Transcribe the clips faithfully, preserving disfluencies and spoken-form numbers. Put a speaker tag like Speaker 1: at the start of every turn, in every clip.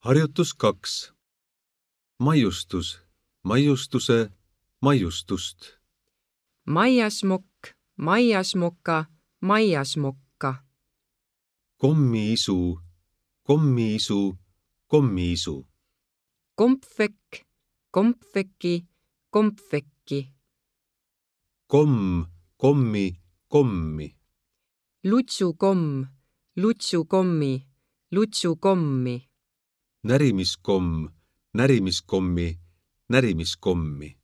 Speaker 1: Harjutus kaks. Maiustus, maiustuse, maiustust.
Speaker 2: Maiasmokk, maiasmoka, maiasmokka.
Speaker 1: Kommiisu, kommiisu, kommiisu.
Speaker 2: Kompvekk, kompvekki, kompvekki.
Speaker 1: Komm, kommi, kommi.
Speaker 2: Lutsukomm, lutsukommi, lutsukommi.
Speaker 1: Närimiskomm, närimiskommi, närimiskommi.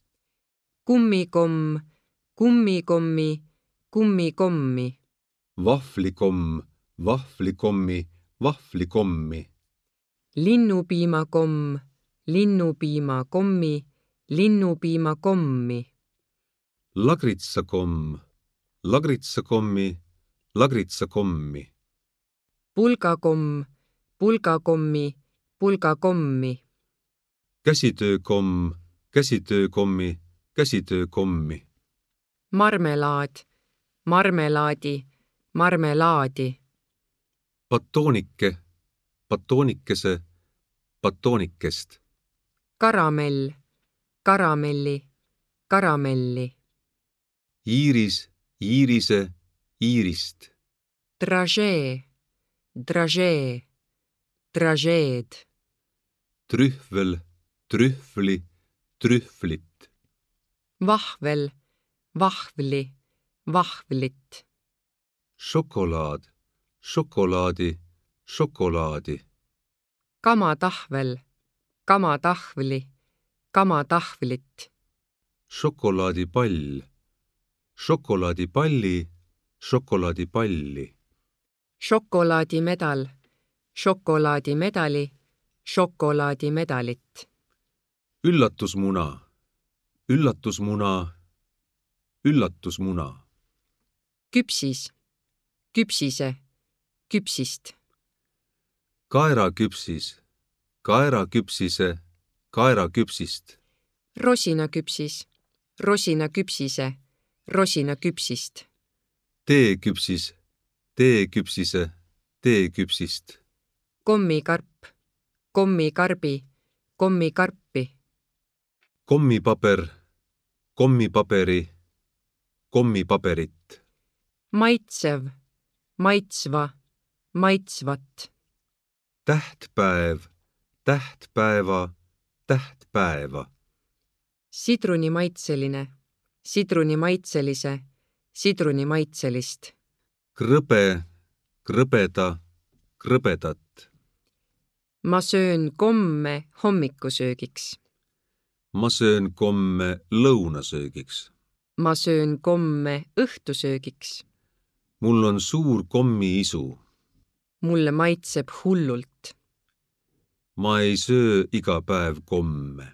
Speaker 2: Kummikomm, kummikommi, kummikommi.
Speaker 1: Vahvlikomm, vahvlikommi, vahvlikommi.
Speaker 2: Linnupiimakomm, linnupiimakommi, linnupiimakommi.
Speaker 1: Lagritsakomm, lagritsakommi, lagritsakommi.
Speaker 2: Pulgakomm, pulgakommi, pulgakommi.
Speaker 1: Käsitöökomm, käsitöökommi, käsitöökommi.
Speaker 2: Marmelaad, marmelaadi, marmelaadi.
Speaker 1: Batoonike, batoonikese, batoonikest.
Speaker 2: Karamell, karamelli, karamelli.
Speaker 1: Iiris, iirise, iirist.
Speaker 2: Dražee, dražee, dražeed.
Speaker 1: Trühvel, trühvli, trühvlit.
Speaker 2: Vahvel, vahvli, vahvlit.
Speaker 1: Šokolaad, šokolaadi, šokolaadi.
Speaker 2: Kamatahvel, kamatahvli, kamatahvlit.
Speaker 1: Šokolaadipall, šokolaadipalli, šokolaadipalli.
Speaker 2: Šokolaadimedal, šokolaadimedali, šokolaadimedalit.
Speaker 1: Üllatusmuna, üllatusmuna, üllatusmuna.
Speaker 2: Küpsis, küpsise, küpsist.
Speaker 1: Kaeraküpsis, kaeraküpsise, kaeraküpsist.
Speaker 2: Rosinaküpsis, rosinaküpsise, rosinaküpsist.
Speaker 1: Teeküpsis, teeküpsise, teeküpsist.
Speaker 2: Kommikarp, kommikarbi, kommikarpi.
Speaker 1: Kommipaber, kommipaberi, kommipaberit.
Speaker 2: Maitsev, maitsva, maitsvat.
Speaker 1: Tähtpäev, tähtpäeva, tähtpäeva.
Speaker 2: Sidrunimaitseline, sidrunimaitselise, sidrunimaitselist.
Speaker 1: Krõbe, krõbeda, krõbedat.
Speaker 2: Ma söön komme hommikusöögiks.
Speaker 1: Ma söön komme lõunasöögiks.
Speaker 2: Ma söön komme õhtusöögiks.
Speaker 1: Mul on suur kommiisu.
Speaker 2: Mulle maitseb hullult.
Speaker 1: Ma ei söö iga päev komme.